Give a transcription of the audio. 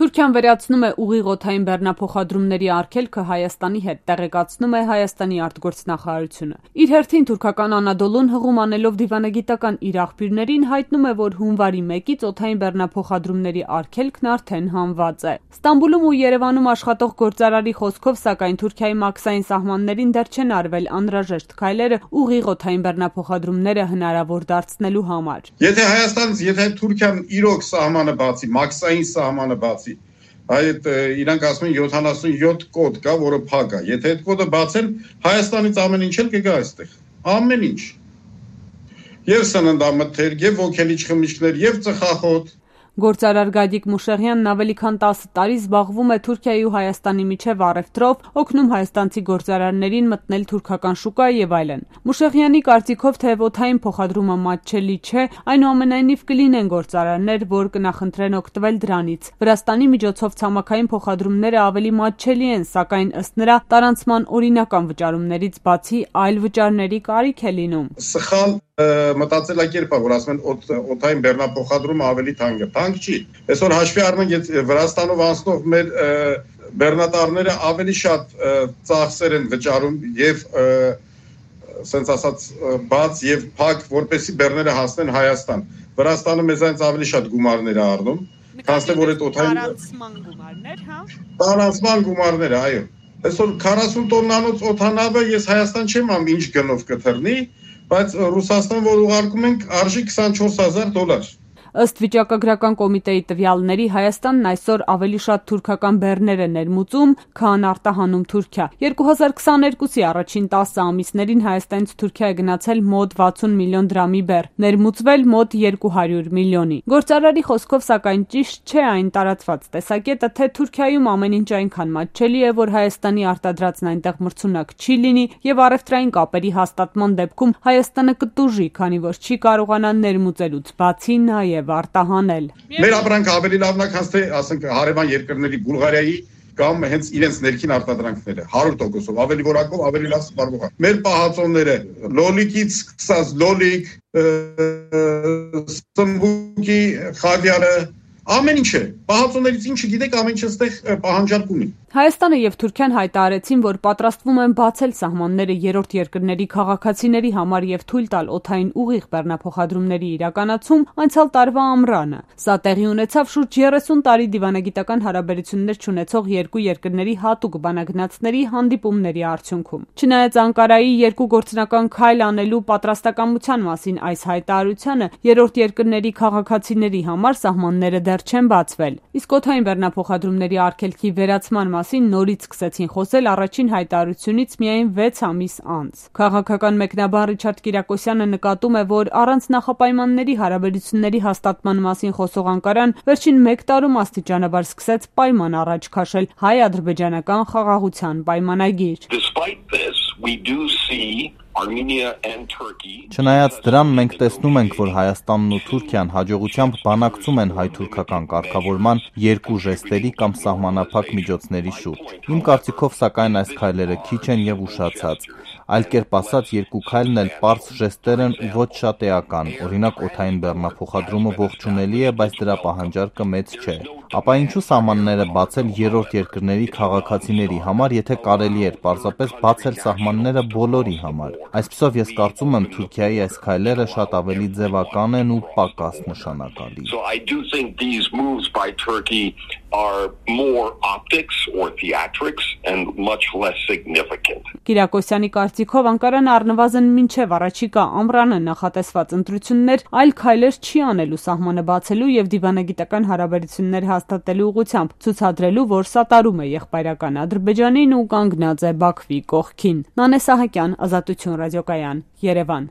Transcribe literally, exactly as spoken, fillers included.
Թուրքիան վերացնում է ուղիղ օդային բեռնափոխադրումների արգելքը Հայաստանի հետ, տեղեկացնում է Հայաստանի արտգործնախարարությունը։ Իր հերթին թուրքական Անադոլուն հղում անելով դիվանագիտական իր աղբյուրներին հայտնում է, որ հունվարի մեկից օդային բեռնափոխադրումների արգելքն արդեն հանված է։ Ստամբուլում ու Երևանում աշխատող գործարարի խոսքով, սակայն Թուրքիայի մաքսային սահմաններին դեռ չեն արվել անհրաժեշտ քայլերը ուղիղ օդային բեռնափոխադրումները հնարավոր դարձնելու համար։ Եթե Հայաստանից, եթե Թուրքիան իրոք սահմանը բացի, մաքսային սահմանը բացի, այդ իրանք ասում են յոթանասունյոթ կոդ կա, որը փակ է։ Եթե այդ կոդը բացեն, Հայաստանից ամեն ինչ էլ կգա այստեղ։ Ամեն ինչ։ Եվ սննդամթեր, եւ ոգելիչ խմիչքներ, եւ ծխախոտ։ Գործարար Գադիկ Մուշեղյանն ավելի քան տասը տարի զբաղվում է Թուրքիայի ու Հայաստանի միջև առևտրով, օգնում հայաստանցի գործարարներին մտնել թուրքական շուկա եւ այլն։ Մուշեղյանի կարծիքով, թե օդային փոխադրումը մատչելի չէ, այնուամենայնիվ կլինեն գործարարներ, որ կնախընտրեն օգտվել դրանից։ Վրաստանի միջոցով ցամաքային փոխադրումները ավելի մատչելի են, սակայն ըստ նրա տարանցման օրինական վճարումներից բացի այլ վճարների կարիք է լինում։ Սխալ մտածելակերպ է, որ ասում են օդային բեռնափոխադրումը ավելի թանկ է։ Թանկ չի։ Այսօր հաշվի առնենք, եթե Վրաստանով անցնող մեր բեռնատարները ավելի շատ ծախսեր են վճարում եւ ասենց ասած բաց եւ փակ, որպեսզի բեռները հասնեն Հայաստան։ Վրաստանը մեզանից ավելի շատ գումարներ է առնում, քան թե որ այդ օդային տարանցման գումարներ, հա։ Տարանցման գումարներ, այո։ Այսօր քառասուն տոննանոց օդանավը ես Հայաստան չեմ ամ ինչ գնով կթռնի, բայց Ռուսաստան, որ ուղարկում ենք, արժի քսանչորս հազար դոլար։ Ըստ վիճակագրական կոմիտեի տվյալների, Հայաստանն այսօր ավելի շատ թուրքական բեռներ է ներմուծում, քան արտահանում Թուրքիա։ երկու հազար քսաներկուսի առաջին տասը ամիսներին Հայաստանից Թուրքիա է գնացել մոտ վաթսուն միլիոն դրամի բեռ, ներմուծվել մոտ երկու հարյուր միլիոնի։ Գործարարի խոսքով, սակայն ճիշտ չէ այն տարածված տեսակետը, թե Թուրքիայում ամեն ինչ այնքան մատչելի է, որ Հայաստանի արտադրածն այնտեղ մրցունակ չի լինի եւ առևտրային կապերի հաստատման դեպքում Հայաստանը կտուժի, քանի որ չի կարողանա ներմուծելուց բացի նաեւ արտահանել։ Մեր ապրանքը ավելի լավն է, քան թե ասենք հարևան երկրների Բուլղարիայի կամ հենց իրենց ներքին արտադրանքները հարյուր տոկոսով ավելի որակով ավելի լավ սպառվող է։ Մեր պահածոները լոլիկից սկսած լոլիկ, սմբուկի, խավիարը, ամեն ինչ է։ Պահածոներից ինչը գիտեք, ամեն ինչ այստեղ պահանջարկ ունի։ Հայաստանը եւ Թուրքիան հայտարարեցին, որ պատրաստվում են բացել սահմանները երրորդ երկրների քաղաքացիների համար եւ թույլ տալ օդային ուղիղ բեռնափոխադրումների իրականացում անցյալ տարվա ամռանը։ Սա տեղի ունեցավ շուրջ երեսուն տարի դիվանագիտական հարաբերություններ չունեցող երկու երկրների հատուկ բանագնացների հանդիպումների արդյունքում։ Չնայած Անկարայի երկու գործնական քայլ անելու պատրաստակամության մասին այս հայտարարությանը, երրորդ երկրների քաղաքացիների համար սահմանները դեռ չեն բացվել։ Իսկ օդային բեռնափոխադրումների արգելքի վերացման մասին նորից սկսեցին խոսել առաջին հայտարարությունից միայն վեց ամիս անց։ Քաղաքական մեկնաբան Ռիչարդ Կիրակոսյանը նկատում է, որ առանց նախապայմանների հարաբերությունների հաստատման մասին խոսող Անկարան վերջին մեկ տարում աստիճանաբար սկսեց պայման առաջ քաշել հայ-ադրբեջանական խաղաղության պայմանագիր։ Չնայած դրան, մենք տեսնում ենք, որ Հայաստանն ու Թուրքիան հաջողությամբ բանակցում են հայ-թուրքական կարգավորման երկու ժեստերի կամ սահմանափակ միջոցների շուրջ։ Իմ կարծիքով, սակայն այս քայլերը քիչ են եւ ուշացած։ Այլ կերպ ասած, երկու քայլն էլ պարզ ժեստեր են ու ոչ շատ էական։ Օրինակ, օդային բեռնափոխադրումը ողջունելի է, բայց դրա պահանջարկը մեծ չէ։ Ապա ինչու սահմանները բացել երրորդ երկրների քաղաքացիների համար, եթե կարելի էր պարզապես բացել սահմանները բոլորի համար։ Այսպիսով ես կարծում եմ, Թուրքիայի այս քայլերը շատ ավելի ձևական են ու պակաս նշանակալի։ Կիրակոսյանի կարծիքով Անկարան առնվազն մինչև առաջիկա ամռանը նախատեսված ընտրություններ այլ քայլեր չի անելու սահմանը բացելու եւ դիվանագիտական հարաբերություններ հաստատելու ուղղությամբ, ցուցադրելու, որ սատարում է եղբայրական Ադրբեջանին ու կանգնած է Բաքվի կողքին։ Նանե Սահակյան, Ազատություն ռադիոկայան, Երևան։